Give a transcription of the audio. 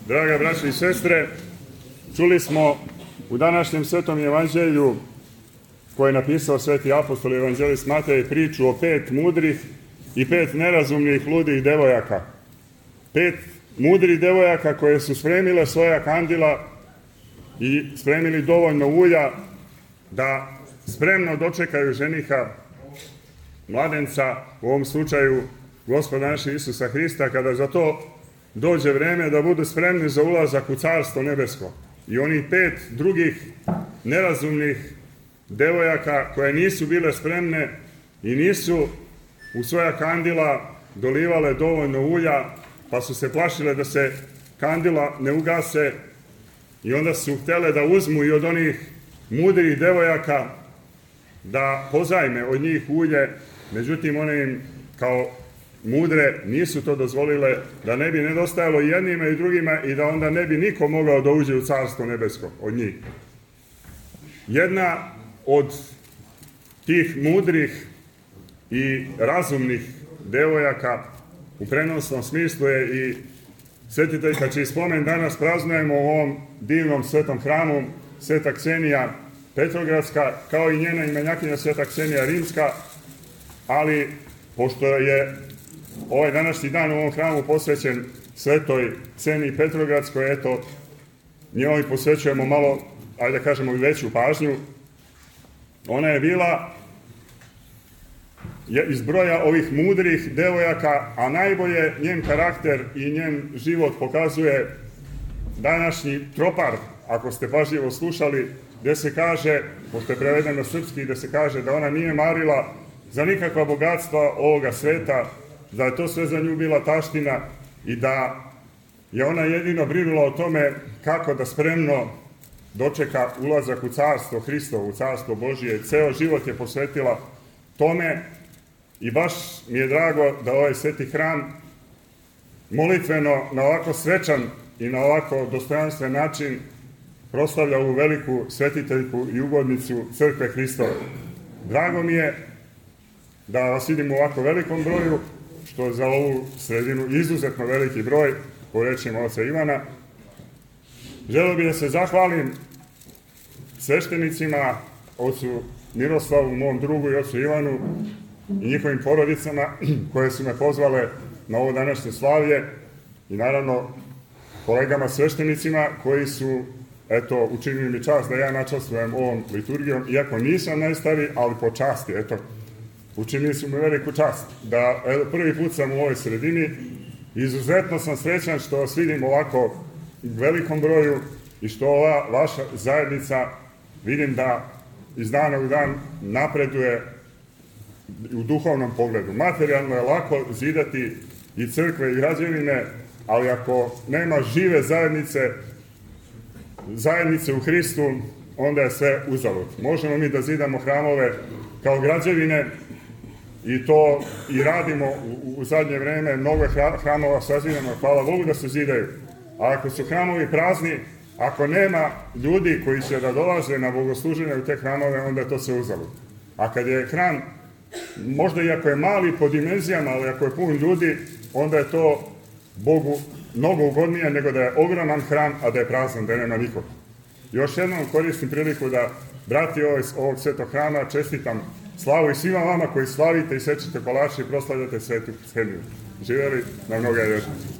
Draga braćo i sestre, čuli u današnjem Svetom evanđelju koje je napisao sveti apostol i evanđelist Matej priču o 5 mudrih i 5 nerazumnih ludih devojaka. 5 mudrih devojaka koje su spremile svoja kandila i spremili dovoljno ulja da spremno dočekaju ženiha, mladenca, u ovom slučaju Gospoda našeg Isusa Hrista, kada za to dođe vreme da budu spremni za ulazak u Carstvo nebesko. I onih 5 drugih nerazumnih devojaka koje nisu bile spremne i nisu u svoja kandila dolivale dovoljno ulja, pa su se plašile da se kandila ne ugase i onda su htjele da uzmu i od onih mudrih devojaka da pozajme od njih ulje, međutim one im kao mudre nisu to dozvolile, da ne bi nedostajalo jednima i drugima i da onda ne bi niko mogao da uđe u Carstvo nebesko od njih. Jedna od tih mudrih i razumnih devojaka u prenosnom smislu je i svetiteljka čiji spomen danas praznujemo u ovom divnom svetom hramu, Sveta Ksenija Petrogradska, kao i njena imenjakinja Sveta Ksenija Rimska, ali pošto je ovaj današnji dan u ovom hramu posvećen Svetoj Kseniji Petrogradskoj, eto, njoj posvećujemo malo, ajde da kažemo, veću pažnju. Ona je bila iz broja ovih mudrih devojaka, a najbolje njen karakter i njen život pokazuje današnji tropar, ako ste pažljivo slušali, gde se kaže, pošto je prevedeno srpski, gde se kaže da ona nije marila za nikakva bogatstva ovoga sveta, da je to sve za nju bila taština i da je ona jedino brinula o tome kako da spremno dočeka ulazak u Carstvo Hristovo, u Carstvo Božije. Ceo život je posvetila tome i baš mi je drago da ovaj sveti hram molitveno na ovako svečan i na ovako dostojanstven način proslavlja ovu veliku svetiteljku i ugodnicu Crkve Hristove. Drago mi je da vas vidim u ovako velikom broju, što je za ovu sredinu izuzetno veliki broj, po rečima oca Ivana. Želeo bih da se zahvalim sveštenicima, ocu Miroslavu, mom drugu, i ocu Ivanu i njihovim porodicama koje su me pozvale na ovo današnje slavlje i naravno kolegama sveštenicima koji su učinili mi čast da ja načastvujem ovom liturgijom, iako nisam najstariji, ali po časti, učinili su mi veliku čast da prvi put sam u ovoj sredini. Izuzetno sam srećan što vas vidim ovako u velikom broju i što ova vaša zajednica vidim da iz dana u dan napreduje u duhovnom pogledu. Materijalno je lako zidati i crkve i građevine, ali ako nema žive zajednice u Hristu, onda je sve uzalud. Možemo mi da zidamo hramove kao građevine i to i radimo u zadnje vreme, mnogo hramova sazidamo, hvala Bogu da se zidaju. A ako su hramovi prazni, ako nema ljudi koji će da dolaze na bogosluženje u te hramove, onda je to sve uzalud. A kad je hram, možda i ako je mali po dimenzijama, ali ako je pun ljudi, onda je to Bogu mnogo ugodnije nego da je ogroman hram, a da je prazan, da nema nikog. Još jednom koristim priliku da brati ovog svetog hrama čestitam slavu i svima vama koji slavite i sečete kolače i proslavljate Svetu Kseniju. Živjeli na mnoga vječnosti.